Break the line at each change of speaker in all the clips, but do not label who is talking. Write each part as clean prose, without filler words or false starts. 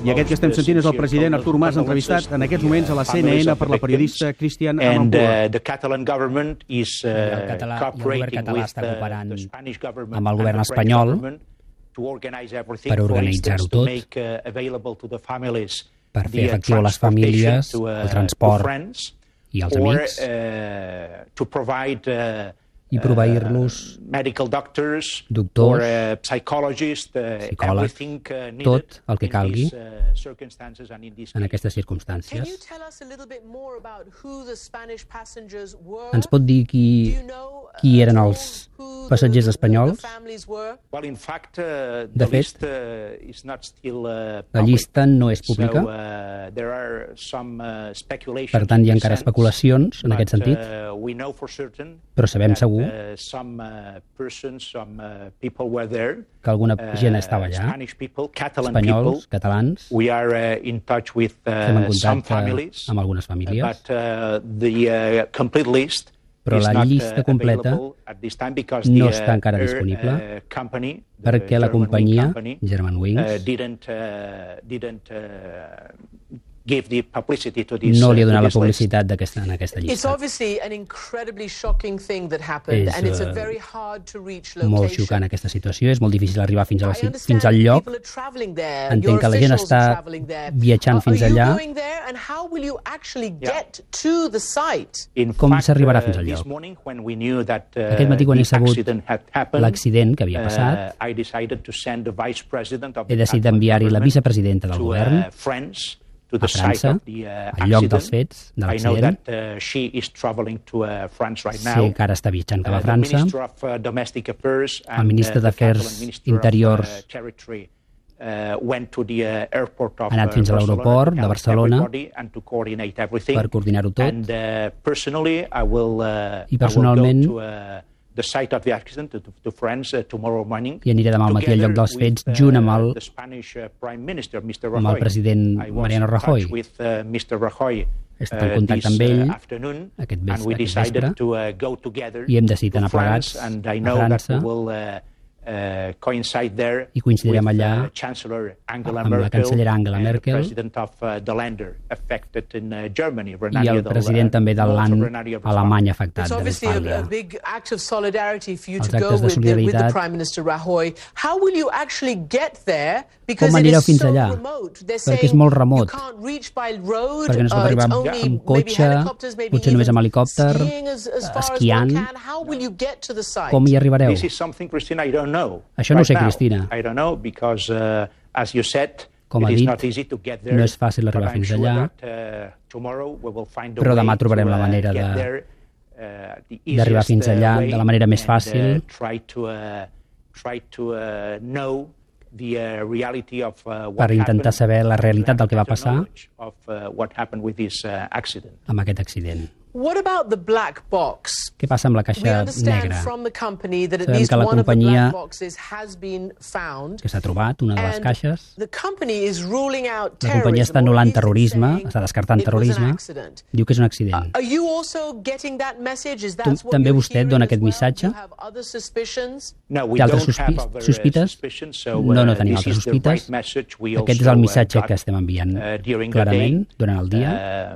I aquest que estem sentint és el president Artur Mas, entrevistat en aquests moments a la CNN per la periodista Cristian Amanpour.
El govern català està cooperant amb el govern espanyol per organitzar-ho tot, per fer efectiu a les famílies, el transport i els amics, i proveir-los doctors, psicòlegs, tot el que calgui en aquestes circumstàncies. Ens pot dir qui eren els passatgers espanyols? De fet, la llista no és pública, per tant hi ha encara especulacions en aquest sentit, però sabem segur que alguna gent estava allà, espanyols, catalans. Estem en contacte amb algunes famílies, però la llista completa no està encara disponible perquè la companyia Germanwings no li ha donat la publicitat en aquesta llista. És molt xocant aquesta situació, és molt difícil arribar fins al lloc. Entenc que la gent està viatjant fins allà. Com s'arribarà fins al lloc? Aquest matí, quan he sabut l'accident que havia passat, he decidit enviar-hi la vicepresidenta del govern a França, al lloc dels fets, de l'accident. Sé que ara està viatjant cap a França. El ministre d'Afers Interiors ha anat fins a l'aeroport de Barcelona per coordinar-ho tot. I personalment i aniré demà al matí al lloc dels fets junt amb el president Mariano Rajoy. He estat en contacte amb ell aquest vespre i hem decidit anar plegats a França i coincidirem allà amb la cancellera Angela Merkel i el president també del land alemany afectat, de Westfàlia. Els actes de solidaritat. Com anireu fins allà? Perquè és molt remot, perquè no es pot arribar amb cotxe, potser només amb helicòpter, esquiant. Com hi arribareu? Això no ho sé, Cristina. Com ha dit, no és fàcil arribar fins allà, però demà trobarem la manera d'arribar fins allà de la manera més fàcil per intentar saber la realitat del que va passar amb aquest accident. Què passa amb la caixa negra? Sabem que la companyia que s'ha trobat, una de les caixes, la companyia està anul·lant terrorisme, està descartant terrorisme, diu que és un accident. També vostè dona aquest missatge? Té altres sospites? No tenim altres sospites. Aquest és el missatge que estem enviant clarament durant el dia.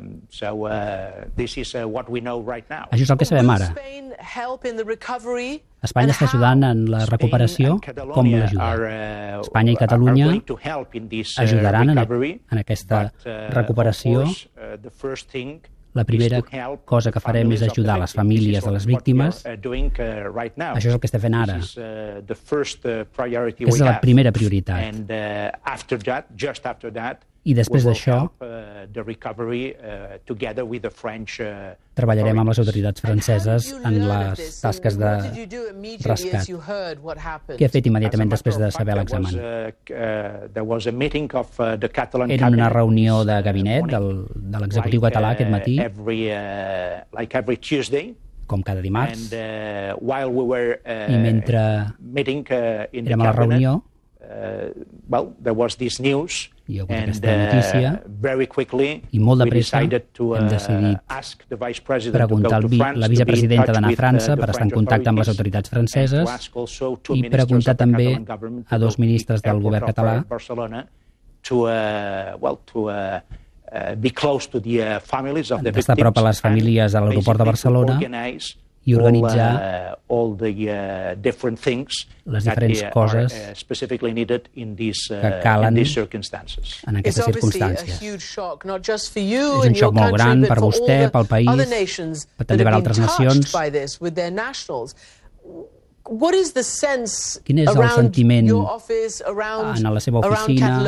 Això és el que sabem ara. Espanya està ajudant en la recuperació. Com l'ajuda? Espanya i Catalunya ajudaran en aquesta recuperació. La primera cosa que farem és ajudar les famílies de les víctimes. Això és el que estem fent ara. És la primera prioritat. I després d'això treballarem amb les autoritats franceses en les tasques de rescat. Què ha fet immediatament després de saber l'examen? Era una reunió de gabinet de l'executiu català aquest matí, com cada dimarts, i mentre érem a la reunió hi ha hagut aquesta notícia i molt de pressa hem decidit preguntar a la vicepresidenta d'anar a França per estar en contacte amb les autoritats franceses i preguntar també a dos ministres del govern català d'estar a prop a les famílies a l'aeroport de Barcelona i organitzar les diferents coses que calen en aquestes circumstàncies. És un xoc molt gran per vostè, pel país, però també per altres nacions. Quin és el sentiment en la seva oficina,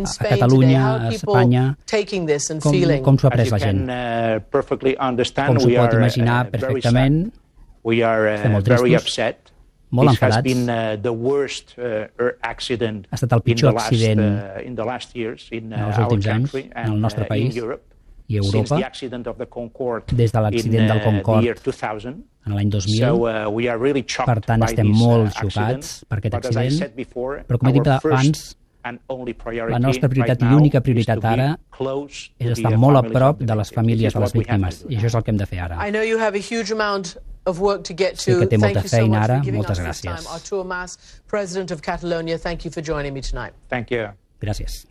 a Catalunya, a Espanya? Com s'ho ha pres la gent? Com s'ho pot imaginar perfectament? Estem molt tristos, molt enfadats. Ha estat el pitjor accident en els últims anys en el nostre país i Europa, des de l'accident del Concorde en l'any 2000. Per tant, estem molt xocats per aquest accident, però com he dit abans, la nostra prioritat i l'única prioritat ara és estar molt a prop de les famílies de les víctimes, i això és el que hem de fer ara. Sé que té molta feina ara. Moltes gràcies. Gràcies.